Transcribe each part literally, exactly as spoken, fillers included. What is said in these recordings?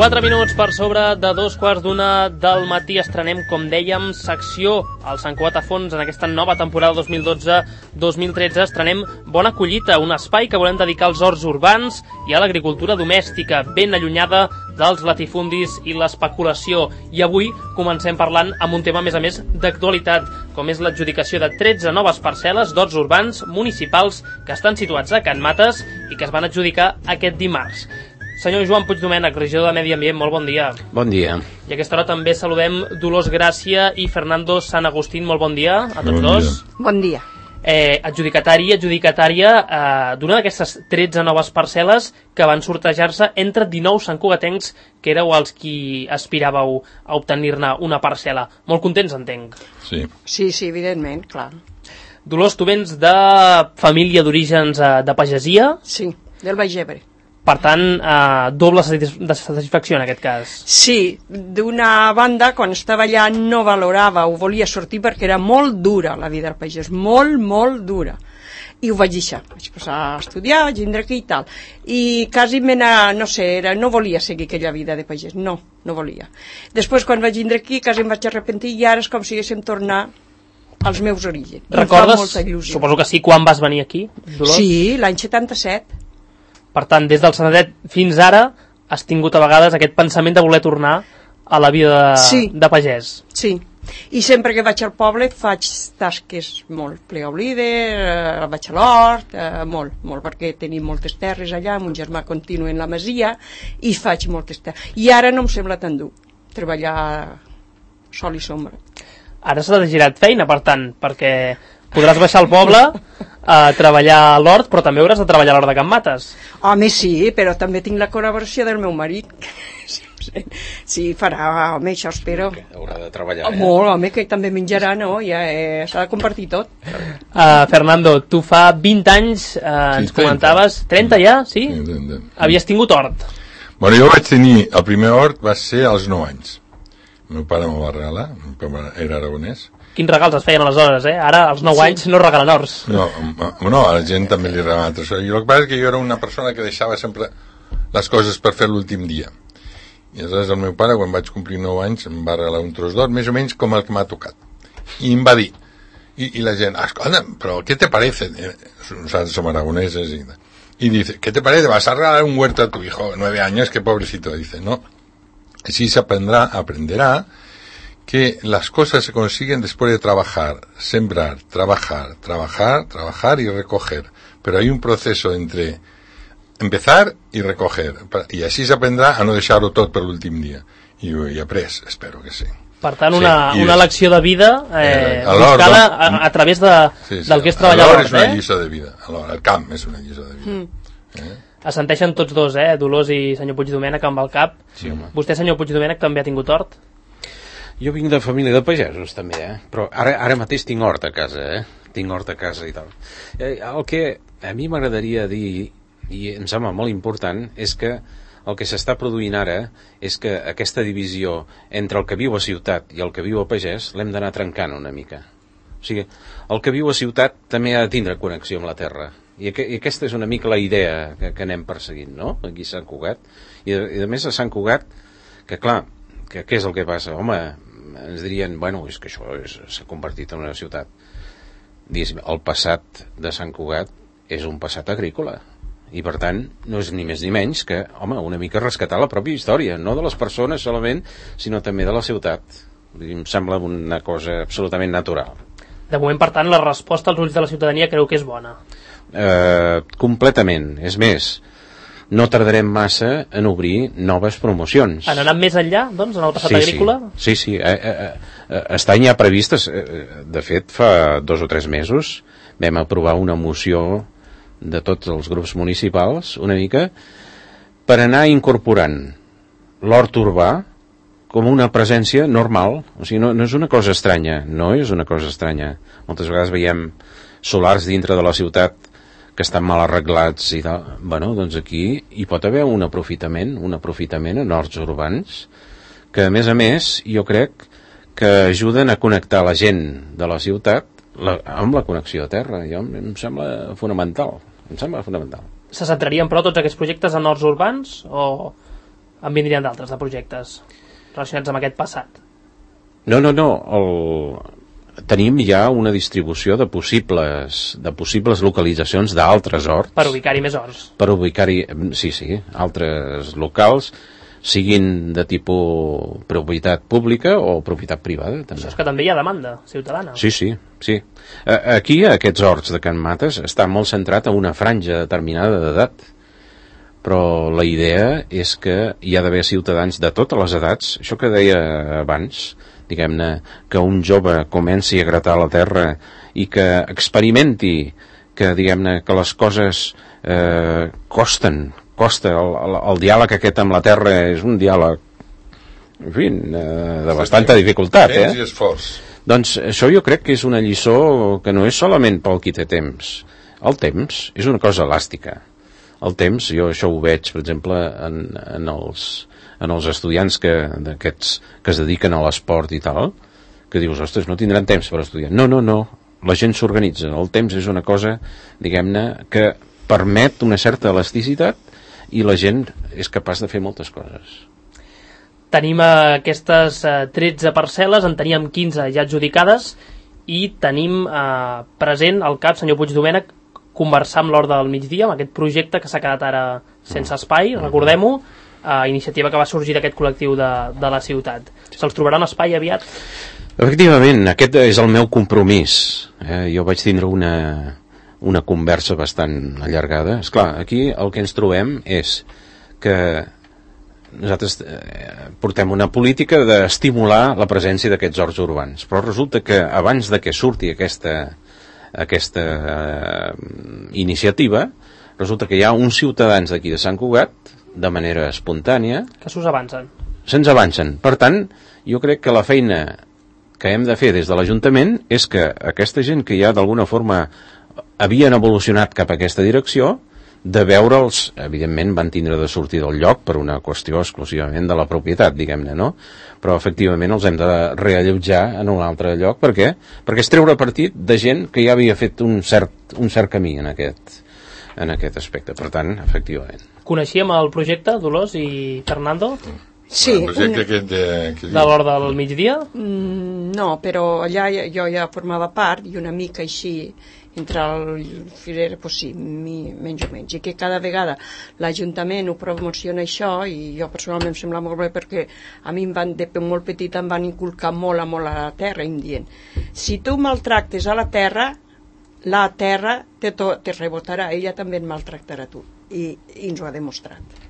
Quatre minuts per sobre de dos quarts d'una del matí estrenem, com dèiem, secció al Sant Cugat a fons en aquesta nova temporada dos mil dotze dos mil tretze. Estrenem Bona Collita, un espai que volem dedicar als horts urbans i a l'agricultura domèstica, ben allunyada dels latifundis i l'especulació. I avui comencem parlant amb un tema, a més a més, d'actualitat, com és l'adjudicació de tretze noves parcel·les d'horts urbans municipals que estan situats a Can Mates i que es van adjudicar aquest dimarts. Senyor Joan Puigdomènech, regidor de Medi Ambient, molt bon dia. Bon dia. I a aquesta hora també saludem Dolors Gràcia i Fernando San Agustín, molt bon dia a tots bon dos. Dia. Bon dia. Eh, adjudicatari, adjudicatària eh, d'una d'aquestes tretze noves parcel·les que van sortejar-se entre dinou santcugatencs que éreu els qui aspiràveu a obtenir-ne una parcel·la. Molt contents, entenc. Sí. Sí, sí, evidentment, clar. Dolors, tu vens de família d'orígens eh, de pagesia? Sí, del Baix Ebre. Per tant, eh, doble de satisfacció en aquest cas. Sí, d'una banda, quan estava allà no valorava o volia sortir perquè era molt dura la vida del pagès, molt, molt dura. I ho vaig deixar, vaig posar a estudiar, vaig vindre aquí i tal. I quasi mena, no sé, era, no volia seguir aquella vida de pagès, no, no volia. Després, quan vaig vindre aquí, quasi em vaig arrepentir i ara és com si haguéssim tornar als meus orígens. Recordes, suposo que sí, quan vas venir aquí, Dolors? Sí, l'any setanta-set. Per tant, des del setanta-set fins ara has tingut a vegades aquest pensament de voler tornar a la vida de, sí. de pagès. Sí, i sempre que vaig al poble faig tasques molt, plegar olive, eh, vaig a l'hort, eh, molt, molt, perquè tenim moltes terres allà, mon germà continua en la masia i faig moltes terres. I ara no em sembla tan dur treballar sol i sombra. Ara s'ha de girar feina, per tant, perquè podràs baixar al poble a treballar a l'hort, però també hauràs de treballar a l'hort de Can Mates. Home, sí, però també tinc la col·laboració del meu marit. Sí, farà, home, això espero. Haurà de treballar, eh? Molt, home, que també menjarà, no? Ja eh, s'ha de compartir tot. Uh, Fernando, tu fa vint anys, uh, Sí, ens comentaves, trenta ja, sí? Sí, trenta. Havies tingut hort. Bueno, jo vaig tenir, el primer hort va ser als nou anys. El meu pare me'l va regalar, el meu pare era aragonès. Quins regals es feien aleshores, eh? Ara, als nou Sí. anys, no regalen horts. No, no, a la gent també li regalaven altres coses. I el que passa és que jo era una persona que deixava sempre les coses per fer l'últim dia. I aleshores el meu pare, quan vaig complir nou anys, em va regalar un tros d'or, més o menys com el que m'ha tocat. I em va dir, i, i la gent, escolta, però ¿qué te parece? Nosotros somos aragoneses y, y dice, ¿qué te parece? ¿Vas a regalar un huerto a tu hijo? Nueve años, qué pobrecito. Dice, no. Así se aprenderá, aprenderá que las cosas se consiguen después de trabajar, sembrar, trabajar, trabajar, trabajar y recoger. Pero hay un proceso entre empezar y recoger. Y así se aprenderá a no deixar-ho tot per l'últim dia. I ho he après, espero que sí. Per tant, una, Sí, una és- lecció de vida eh, Eh, a l'hort, buscada doncs, a, a través de, Sí, sí. del que és treballar a L'hort l'hort, és una eh? lliçó de vida. Alhora, el camp és una lliçó de vida. Mm. Eh? Assenteixen tots dos, eh? Dolors i senyor Puigdomènech amb el cap. Sí, home. Vostè, senyor Puigdomènech, també ha tingut hort? Jo vinc de família de pagesos, també, eh? Però ara, ara mateix tinc hort a casa, eh? Tinc hort a casa i tal. Eh, el que a mi m'agradaria dir, i em sembla molt important, és que el que s'està produint ara és que aquesta divisió entre el que viu a ciutat i el que viu a pagès l'hem d'anar trencant una mica. O sigui, el que viu a ciutat també ha de tindre connexió amb la terra. I, aqu i aquesta és una mica la idea que, que anem perseguint, no?, aquí a Sant Cugat. I, de, i a més a Sant Cugat, que clar, que què és el que passa? Home, ens dirien, bueno, és que això s'ha convertit en una ciutat. Diguéssim, el passat de Sant Cugat és un passat agrícola. I per tant, no és ni més ni menys que, home, una mica rescatar la pròpia història, no de les persones solament, sinó també de la ciutat. Vull dir, em sembla una cosa absolutament natural. De moment, per tant, la resposta als ulls de la ciutadania creu que és bona. Eh, completament. És més, no tardarem massa en obrir noves promocions. Han anat més enllà, doncs, en el passat sí, agrícola? Sí, sí. sí. Eh, eh, eh, està ja previstes. Eh, de fet, fa dos o tres mesos vam aprovar una moció de tots els grups municipals, una mica, per anar incorporant l'hort urbà com una presència normal. O sigui, no, no és una cosa estranya, no és una cosa estranya. Moltes vegades veiem solars dintre de la ciutat que estan mal arreglats i tal. Bueno, doncs aquí hi pot haver un aprofitament, un aprofitament en horts urbans, que a més a més jo crec que ajuden a connectar la gent de la ciutat la, amb la connexió a terra. Jo, em sembla fonamental. Em sembla fonamental. Se centrarien, però, tots aquests projectes en horts urbans? O En vindrien d'altres, de projectes relacionats amb aquest passat? No, no, no. El... Tenim ja una distribució de possibles, de possibles localitzacions d'altres horts. Per ubicar-hi més horts. Per ubicar-hi, sí, sí, altres locals, siguin de tipus propietat pública o propietat privada. També. Això és que també hi ha demanda ciutadana. Sí, sí, sí. Aquí, a aquests horts de Can Mates, està molt centrat en una franja determinada d'edat. Però la idea és que hi ha d'haver ciutadans de totes les edats. Això que deia abans, diguem-ne, que un jove comenci a gratar la terra i que experimenti que, diguem-ne, que les coses eh, costen, costa, el, el, el diàleg aquest amb la terra és un diàleg, en fi, eh, de bastanta dificultat, eh? Temps i esforç. Doncs això jo crec que és una lliçó que no és solament pel qui té temps. El temps és una cosa elàstica. El temps, jo això ho veig, per exemple, en, en, els, en els estudiants que, d'aquests, que es dediquen a l'esport i tal, que dius, ostres, no tindran temps per estudiar. No, no, no, la gent s'organitza. El temps és una cosa, diguem-ne, que permet una certa elasticitat i la gent és capaç de fer moltes coses. Tenim aquestes eh, tretze parcel·les, en teníem quinze ja adjudicades i tenim eh, present al cap, senyor Puigdomènech, conversar amb l'Hort del Migdia, amb aquest projecte que s'ha quedat ara sense espai, recordem-ho, eh, iniciativa que va sorgir d'aquest col·lectiu de, de la ciutat. Se'ls trobarà un espai aviat? Efectivament, aquest és el meu compromís. Eh? Jo vaig tindre una, una conversa bastant allargada. Esclar, aquí el que ens trobem és que nosaltres eh, portem una política d'estimular la presència d'aquests horts urbans, però resulta que abans de que surti aquesta aquesta eh, iniciativa, resulta que hi ha uns ciutadans d'aquí de Sant Cugat, de manera espontània, que s'us avancen. Se'ns avancen. Per tant, jo crec que la feina que hem de fer des de l'Ajuntament és que aquesta gent que ja d'alguna forma havien evolucionat cap a aquesta direcció, de veure'ls, evidentment van tindre de sortir del lloc per una qüestió exclusivament de la propietat, diguem-ne, no? Però efectivament els hem de reallotjar en un altre lloc. Per què? Perquè és treure partit de gent que ja havia fet un cert, un cert camí en aquest, en aquest aspecte. Per tant, efectivament. Coneixíem el projecte, Dolors i Fernando? Sí. El projecte una... aquest de... Que de l'Hort del Migdia? Mm, no, però allà jo ja formava part i una mica així entre el filer, pues sí, mi, menys o menys, i que cada vegada l'Ajuntament ho promociona això, i jo personalment em sembla molt bé perquè a mi em van, de molt petit em van inculcar molt a molt a la terra, em dient, si tu maltractes a la terra, la terra te, to, te rebotarà, ella també et maltractarà a tu, i, i ens ho ha demostrat.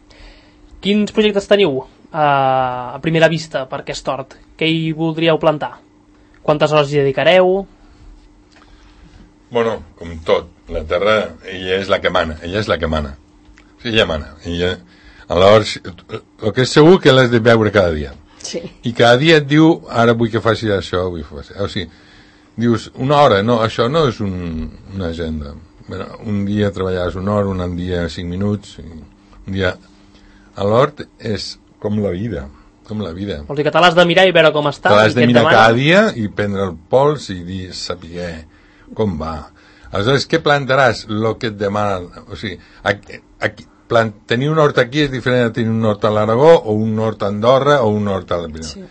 Quins projectes teniu uh, a primera vista per aquest hort? Què hi voldríeu plantar? Quantes hores hi dedicareu? Bueno, com tot, la terra, ella és la que mana, ella és la que mana. Sí, ella mana. Ella, aleshores, el que és segur que l'has de veure cada dia. Sí. I cada dia et diu, ara vull que facis això, vull que facis... O sigui, dius, una hora, no, això no és un, una agenda. Bueno, un dia treballaràs una hora, un dia cinc minuts, un dia... A l'hort és com la vida, com la vida. Vols dir que te l'has de mirar i veure com està? Te l'has de mirar cada dia i prendre el pols i dir, saber com va. Aleshores, què plantaràs? El que et demana. O sigui, aquí, aquí, plant, tenir un hort aquí és diferent de tenir un hort a l'Aragó o un hort a Andorra o un hort a la Pirineu. Sí.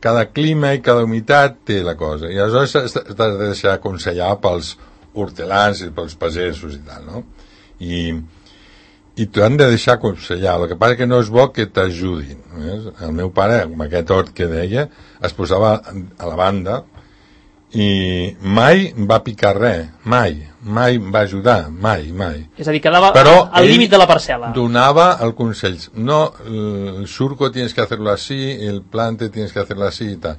Cada clima i cada humitat té la cosa. I aleshores t'has de deixar aconsellar pels hortelans i pels pagesos i tal, no? I, i t'han de deixar aconsellar. El que passa que no és bo que t'ajudin. Eh? El meu pare, amb aquest hort que deia, es posava a la banda i mai va picar res, mai, mai va ajudar, mai, mai. És a dir, quedava Però al límit de la parcel·la. Donava el consell, no, el surco tienes que hacerlo así, el plante tienes que hacerlo así y tal.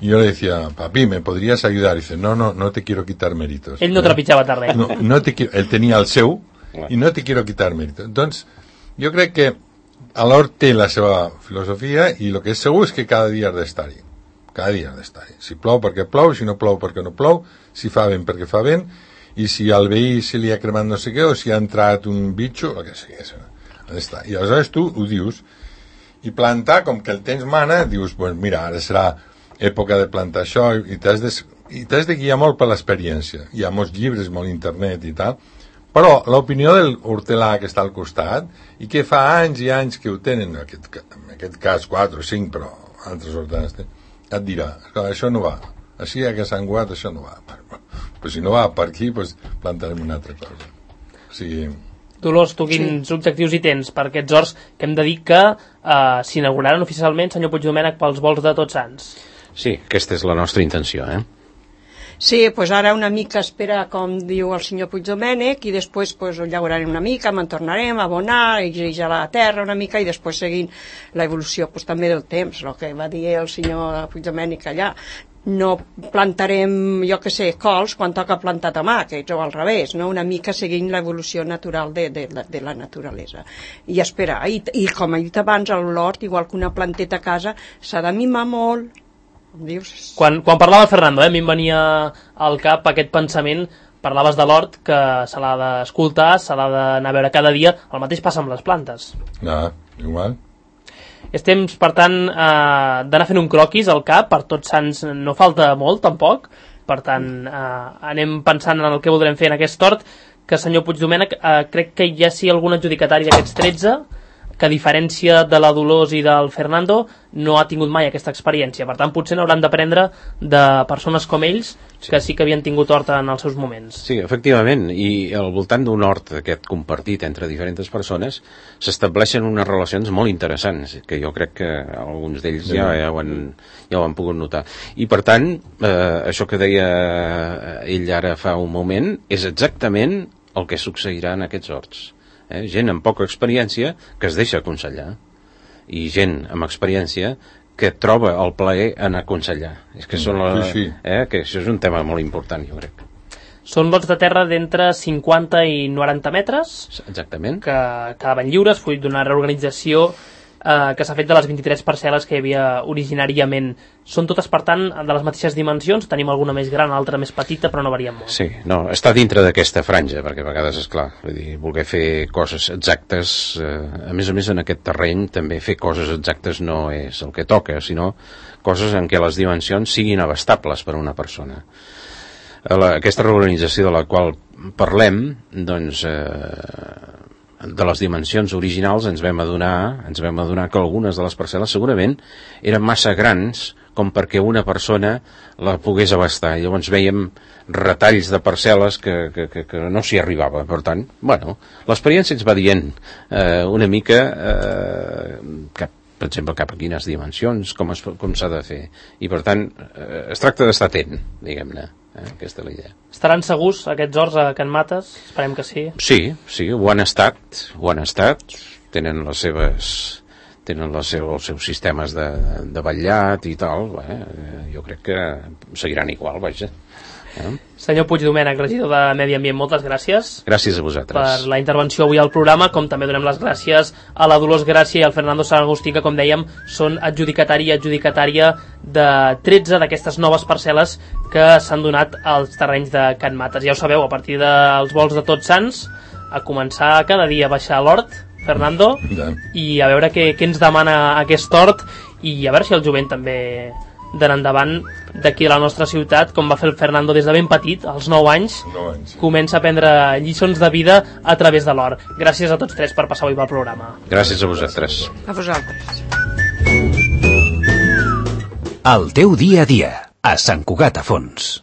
Y yo le decía, papi, ¿me podrías ayudar? Y dice, no, no, no te quiero quitar méritos. Ell no trepitjava terreny. No, no te quiero, él tenía el seu i no te quiero quitar méritos. Doncs, jo crec que a l'hort té la seva filosofia i el que és segur és que cada dia has d'estar-hi. Cada dia has d'estar-hi. Si plou perquè plou, si no plou perquè no plou, si fa vent perquè fa vent, i si al veí se li ha cremat no sé què, o si ha entrat un bitxo, el que sigui. Ha d'estar. I aleshores tu ho dius, i plantar, com que el temps mana, dius, pues mira, ara serà època de plantar això, i t'has de, i t'has de guiar molt per l'experiència. Hi ha molts llibres, molt internet i tal, Però l'opinió del hortelà que està al costat i que fa anys i anys que ho tenen, en aquest, en aquest cas quatre o cinc, però altres hortelans et dirà, això no va, així a que Sant Cugat això no va, però si no va per aquí doncs plantarem una altra cosa. O sigui... Dolors, tu quins sí. objectius hi tens per aquests horts que hem de dir que eh, s'inauguraran oficialment, senyor Puigdomènec, pels vols de Tots Sants? Sí, aquesta és la nostra intenció, eh? Sí, doncs ara una mica espera, com diu el senyor Puigdomènec, i després pues, ho llaurarem una mica, me'n tornarem a abonar, a la terra una mica, i després seguint l'evolució pues, també del temps, el que va dir el senyor Puigdomènec allà. No plantarem, jo que sé, cols quan toca plantar tomàquets o al revés, no? Una mica seguint l'evolució natural de, de, de la naturalesa. I esperar. I, i com he dit abans, l'hort, igual que una planteta a casa, s'ha de mimar molt. Dius... Quan, quan parlava el Fernando, eh, a mi em venia al cap aquest pensament, parlaves de l'hort, que se l'ha d'escoltar, se l'ha d'anar a veure cada dia, el mateix passa amb les plantes. No, igual. És temps, per tant, eh, d'anar fent un croquis al cap, per Tots Sants no falta molt, tampoc, per tant, eh, anem pensant en el que voldrem fer en aquest hort, que, senyor Puigdomènec, eh, crec que hi ha sí algun adjudicatari d'aquests tretze, que a diferència de la Dolors i del Fernando no ha tingut mai aquesta experiència, per tant potser n'hauran d'aprendre de persones com ells sí. que sí que havien tingut hort en els seus moments. Sí, efectivament, i al voltant d'un hort aquest compartit entre diferents persones s'estableixen unes relacions molt interessants, que jo crec que alguns d'ells ja, ja, ho han, ja ho han pogut notar. I per tant, eh, això que deia ell ara fa un moment és exactament el que succeirà en aquests horts. Eh? Gent amb poca experiència que es deixa aconsellar i gent amb experiència que troba el plaer en aconsellar. És que, són la, sí, sí. Eh? que això és un tema molt important, jo crec. Són lots de terra d'entre cinquanta i noranta metres. Exactament. Que quedaven lliures, fruit d'una reorganització eh, que s'ha fet de les vint-i-tres parcel·les que hi havia originàriament. Són totes, per tant, de les mateixes dimensions, tenim alguna més gran, altra més petita, però no varien molt. Sí, no, està dintre d'aquesta franja, perquè a vegades, és clar, vull dir, voler fer coses exactes, eh, a més a més en aquest terreny, també fer coses exactes no és el que toca, sinó coses en què les dimensions siguin abastables per a una persona. La, aquesta reorganització de la qual parlem, doncs, eh, de les dimensions originals ens vam adonar, ens vam adonar que algunes de les parcel·les segurament eren massa grans com perquè una persona la pogués abastar. Llavors veiem retalls de parcel·les que, que, que, que no s'hi arribava. Per tant, bueno, l'experiència ens va dient eh, una mica eh, cap, per exemple, cap a quines dimensions, com, es, com s'ha de fer. I per tant, eh, es tracta d'estar atent, diguem-ne. Eh? Aquesta és la idea. Estaran segurs aquests horts a Can Mates? Esperem que sí. Sí, sí, ho han estat, ho han estat, tenen les seves, tenen les seus, els seus sistemes de, de vetllat i tal, eh? Jo crec que seguiran igual, vaja. Eh? Senyor Puigdomènec, regidor de Medi Ambient, moltes gràcies. Gràcies a vosaltres. Per la intervenció avui al programa, com també donem les gràcies a la Dolors Gràcia i al Fernando Sant Agustí, que, com dèiem, són adjudicatari i adjudicatària de tretze d'aquestes noves parcel·les que s'han donat als terrenys de Can Mates. Ja ho sabeu, a partir dels vols de Tots Sants, a començar cada dia a baixar a l'hort, Fernando, ja. I a veure què, què ens demana aquest hort, i a veure si el jovent també d'anar endavant d'aquí a la nostra ciutat, com va fer el Fernando des de ben petit, als nou anys, nou anys sí. Comença a prendre lliçons de vida a través de l'hort. Gràcies a tots tres per passar avui pel programa. Gràcies a vosaltres. A vosaltres. El teu dia a dia, a Sant Cugat a Fons.